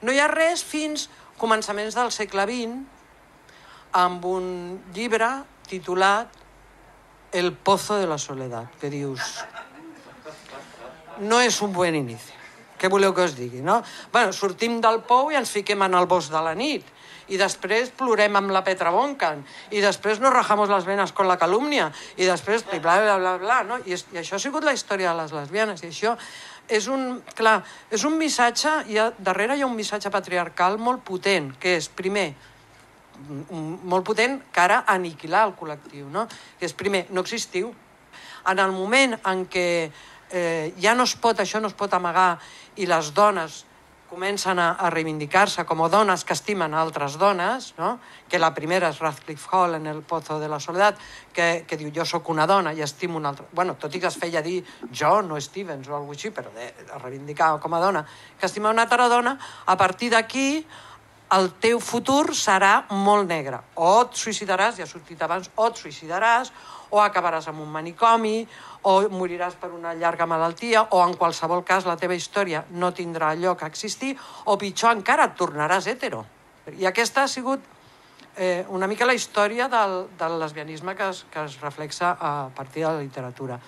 No hi ha res fins començaments del segle XX amb un llibre titulat El pozo de la soledad, que dius... No és un bon inici. Què voleu que us digui, no? Bueno, sortim del pou i ens fiquem en el bosc de la nit. I després plorem amb la Petra Boncan. I després nos rajamos las venas con la calúmnia. I després bla, bla, bla, bla, no? I això ha sigut la història de les lesbianes. I això és un... Clar, és un missatge... Darrere hi ha un missatge patriarcal molt potent, que és, primer, molt potent cara a aniquilar el col·lectiu, no? Que és, primer, no existiu. En el moment en què ja no es pot, això no es pot amagar i les dones comencen a reivindicar-se com a dones que estimen altres dones, no? Que la primera és Radcliffe Hall en El pozo de la soledat, que diu jo sóc una dona i estimo una altra... Bueno, tot i que es feia dir jo, no Stevens o alguna cosa així, però de reivindicar com a dona, que estima una altra dona, a partir d'aquí el teu futur serà molt negre. O et suïcidaràs, ja ha sortit abans, o et suïcidaràs, o acabaràs en un manicomi, o moriràs per una llarga malaltia, o en qualsevol cas la teva història no tindrà lloc a existir, o pitjor encara, et tornaràs hetero. I aquesta ha sigut una mica la història del lesbianisme que es reflexa a partir de la literatura.